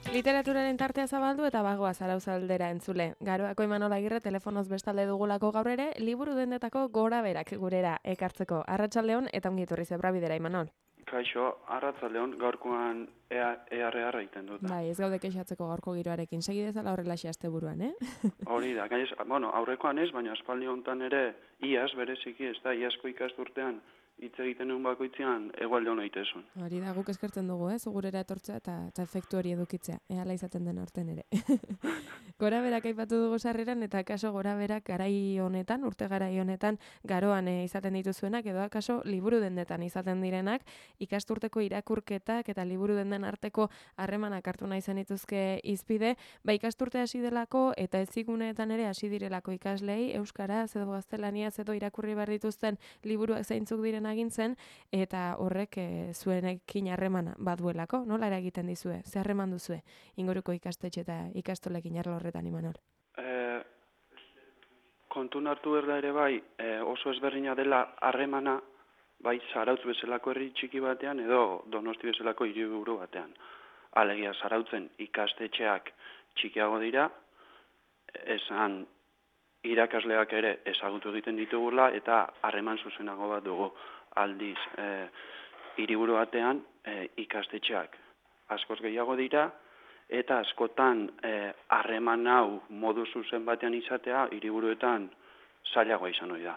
Literaturaren tartea zabaldu eta bagoa Zarauzaldera entzule. Garoako Imanol Agirre telefonoz bestalde dugulako gaur ere, liburu dendetako gora berak gurera ekartzeko. Arratsaldeon eta ongi etorri Zebrabidera, Imanol. Kaixo, arratsaldeon gaurkoan ERR egiten dut. Bai, ez gaude kexatzeko gaurko giroarekin. Segi dezala horrelaxe asteburuan, Hori da, gainez, aurrekoan ez, baina aspaldi hontan ere iaz bereziki, ez da, iazko ikasturtean hitz egiten duen bakoitzean egualde hona itezun. Hori da, guk eskertzen dugu, gurera etortzea eta efektu hori edukitzea. Hala izaten den aurten ere. Gora berak aipatu dugu sarreran eta akaso gora berak garai honetan, urte garai honetan, garoan izaten dituzuenak edo akaso liburu dendetan izaten direnak, ikasturteko irakurketak eta liburu denden arteko harremanak hartu nahi zen dituzke izpide, ikasturte hasi delako eta eziguneetan ere hasi direlako ikaslei, euskaraz edo gaztelaniaz edo irakurri behar dituzten liburuak zeintzuk diren agintzen, eta horrek zuenekin harremana baduelako, nola eragiten dizue? Ze harreman duzue inguruko ikastetxe eta ikastolekin arlo horretan, Imanol? Kontun hartu berda ere bai, oso ezberdina dela harremana, bai Zarautz bezalako herri txiki batean edo Donosti bezalako hiriburu batean. Alegia Zarautzen ikastetxeak txikiago dira, esan irakasleak ere ezagutu egiten ditugula eta harreman zuzenago bat dugu. Aldiz, hiriburu batean ikastetxeak askoz gehiago dira eta askotan harreman hau modu zuzen batean izatea hiriburuetan zailagoa izan ohi da.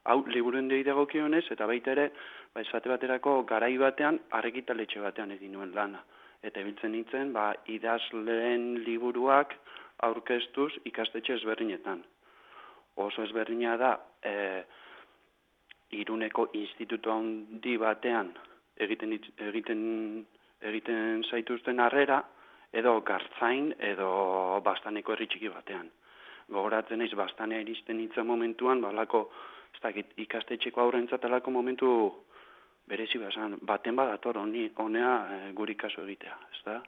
Hau liburuen dagokionez eta baita ere, esate baterako garai batean argitaletxe batean egin nuen lana. Eta ibiltzen nintzen, idazleen liburuak aurkeztuz ikastetxe ezberdinetan. Oso ezberdina da, Iruneko institutu handi batean egiten zaituzten harrera, edo Gartzain edo Bastaneko herri txiki batean. Gogoratzen naiz Bastanea iristen nintzen momentuan, ikastetxeko aurrentzat alako momentu berezi bazan, baten badator honea guri kasu egitea, ezta?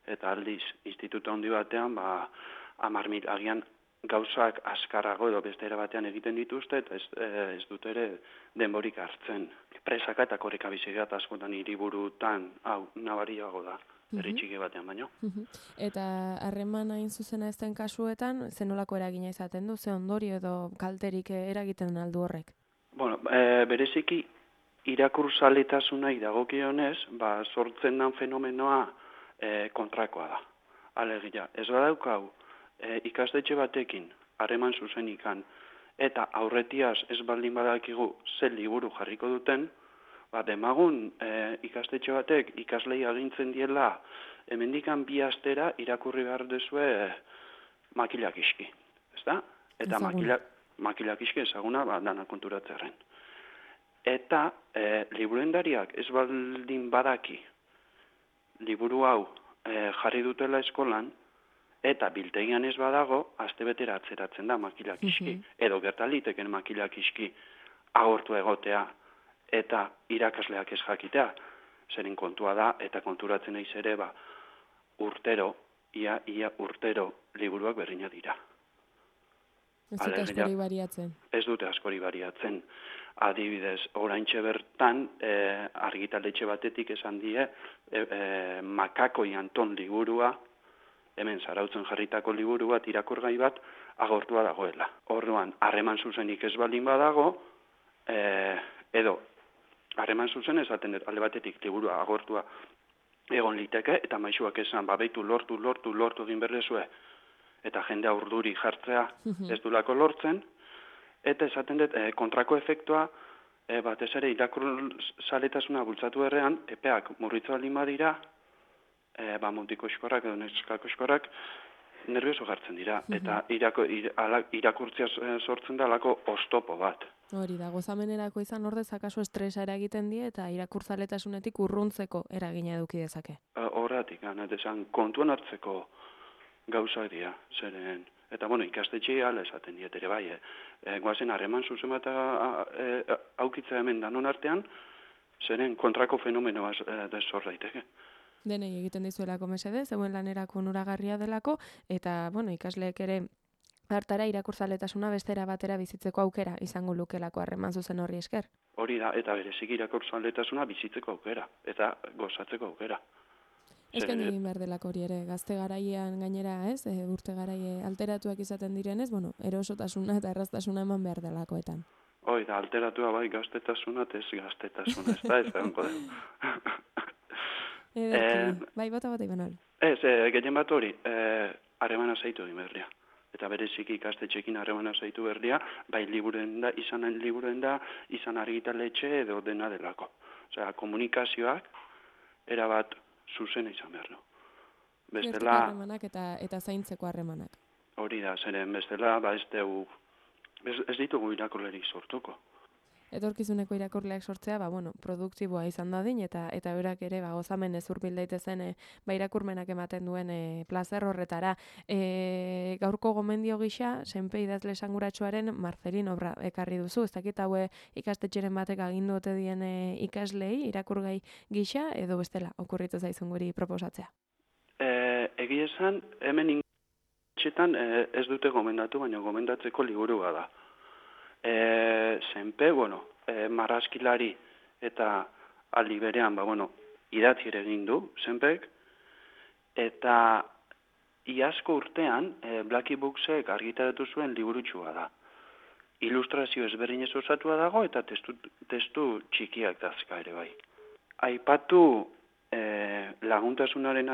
Eta aldiz, institutu handi batean, 10.000 agian gauzak askarrago edo beste era batean egiten dituzte, eta ez dut ere denborik hartzen. Presaka eta korrika bizigat askotan hiriburutan, hau, nabariago da, herri txiki batean baino. Eta harreman hain zuzena ezten kasuetan, zenolako eragina izaten du, ze ondorio edo kalterik eragiten aldu horrek? Bereziki, irakurzaletasunai dagokionez, sortzen den fenomenoa kontrakoa da. Alegia, ez badaukau, ikastetxe batekin, harreman zuzenikan, eta aurretiaz ez baldin badakigu ze liburu jarriko duten, demagun ikastetxe batek ikaslei agintzen diela hemendikan 2 astera irakurri behar duzue makilak iski, ezta? Eta makilak iski ezaguna dana konturatzearen. Eta liburendariak ez baldin badaki liburu hau jarri dutela eskolan, eta biltegian ez badago, astebetera atzeratzen da makilak iski, edo gertaliteken makilak iski agortu egotea, eta irakasleak ez jakitea, zeren kontua da, eta konturatzen naiz ere, ia urtero liburuak berdina dira. Ez dute askori bariatzen? Ez dute askori bariatzen. Adibidez, oraintxe bertan, argitaletxe batetik esan die, Makakoi Anton liburua, hemen Zarautzen jarritako liburu bat, irakurgai bat, agortua dagoela. Orduan, harreman zuzenik ez baldin badago, edo, harreman zuzen esaten dut, alde batetik liburua agortua egon liteke, eta maisuak esan, beitu lortu egin berdezue, eta jendea urduri jartzea ez dulako lortzen, eta esaten dut, kontrako efektua, batez ere irakurzaletasuna bultzatu errean, epeak murritza baldin badira, mutiko eskorrak edo neskako eskorrak nervioso jartzen dira, eta irakurtzia sortzen da alako oztopo bat. Hori da, gozamenerako izan ordez akaso estresa eragiten die eta irakurtzaletasunetik urruntzeko eragina eduki dezake. Horratik, esan kontuan hartzeko gauzak dira, zeren, eta ikastetxe ala esaten diet ere bai, goazen harreman zuzen bat aukitza hemen danon artean, zeren kontrako fenomenoa zor daiteke. Denei egiten dizuelako mesede, zeuen lanerako onuragarria delako, eta ikasleek ere hartara irakurzaletasuna bestera batera bizitzeko aukera izango lukelako harreman zuzen horri esker. Hori da, eta bereziki irakurzaletasuna bizitzeko aukera, eta gozatzeko aukera. Eskaini egin behar delako hori ere, gazte garaian gainera, ez? Urte garai alteratuak izaten direnez, bueno, erosotasuna eta erraztasuna eman behar delakoetan. Hoi, da, alteratua bai gaztetasuna, ez gaztetasuna, ez da, ez dago dugu. Bai, bota Imanol. Ez, gehien bat hori, harremana zaitu egin berria. Eta bereziki ikastetxekin harremana zaitu berria, bai liburuen da, izan argitaletxe edo dena delako. Osea, komunikazioak erabat zuzena izan behar du. Bestela harremanak eta zaintzeko harremanak. Hori da, zeren bestela, ez ditugu irakurlerik sortuko. Etorkizuneko irakurleak sortzea, produktiboa izan dadin, eta berak ere, gozamen ez hurbil daitezen, irakurmenak ematen duen plazer horretara. Gaurko gomendio gisa, senpe idazle esanguratsuaren Marcelin obra ekarri duzu, ez dakit haue ikastetxeren batek agindu ote dien ikaslei, irakurgai gisa, edo bestela, okurritu zaizun guri proposatzea. Egia esan, hemen ingletxetan ez dute gomendatu, baina gomendatzeko liburua da. Zenpe, marrazkilari eta aldi berean, idatzi ere egin du, zenpek, eta iazko urtean Blackie Booksek argitaratu zuen liburutsua da. Ilustrazio ezberdinez osatua dago eta testu txikiak dazka ere bai. Aipatu laguntasunaren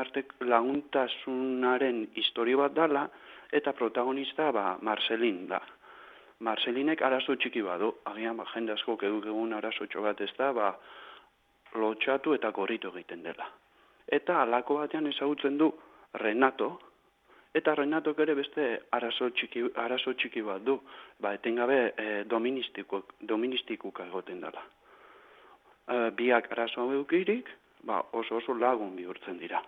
historio bat dala eta protagonista Marcelin da. Marcelinek arazo txiki badu, agian jende askok egun arazotxo bat ez da, lotxatu eta korritu egiten dela. Eta halako batean ezagutzen du Renato, eta Renatok ere beste arazo txiki bat du, etengabe doministikuka egoten dela. Biak arazo hau eukirik, oso lagun bihurtzen dira.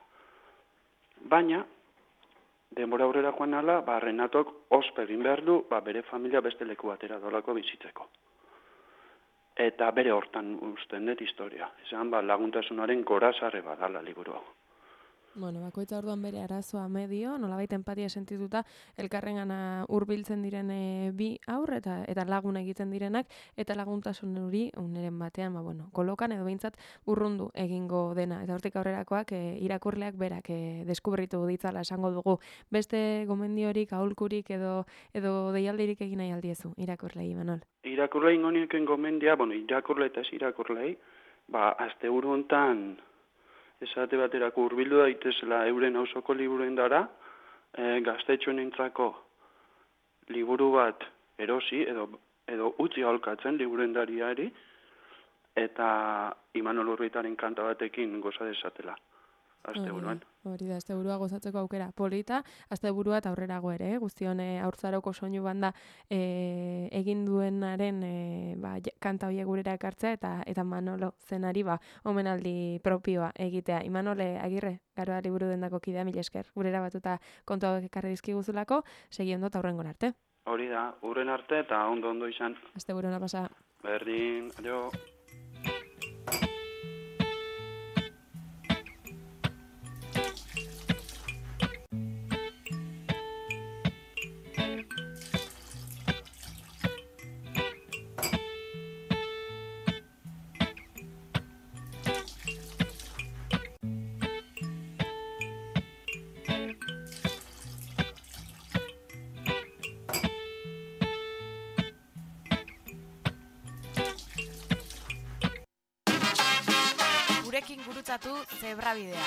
Baina, denbora aurrera joan ala, Renatok ospe egin behar du, bere familia beste leku batera dolako bizitzeko. Eta bere hortan uzten dut historia. Esan, laguntasunaren gorazarre badala liburu hau. Bakoitza orduan bere arazoa medio, nolabait enpatia sentituta, elkarrengana hurbiltzen diren bi aur eta lagun egiten direnak, eta laguntasun hori uneren batean, kolokan edo behintzat urrundu egingo dena. Eta hortik aurrerakoak irakurleak berak deskubritu ditzala esango dugu. Beste gomendiorik, aholkurik edo deialdirik egin nahi aldiezu, irakurlei, Imanol? Irakurlei ingonieken gomendia, irakurle eta ez irakurlei, asteburu hontan esate baterako hurbildu daitezela euren auzoko liburuen dara, gaztetxoenentzako liburu bat erosi edo utzi aholkatzen liburendariari, eta Imanol Urritaren kanta batekin goza dezatela. Asteburuan. Hori da, asteburua gozatzeko aukera polita, asteburua eta aurrerago ere, guztion haurtzaroko soinu banda egin duenaren kanta horiek gurera ekartzea eta Manolo zenari omenaldi propioa egitea. Imanole Agirre, Garoa liburu dendako kidea, mila esker. Gurera batuta kontu hauek ekarri dizkiguzulako, segi ondo eta hurrengon arte. Hori da, hurren arte eta ondo izan. Asteburua pasa. Berdin, adio. Gurekin gurutzatu Zebrabidea.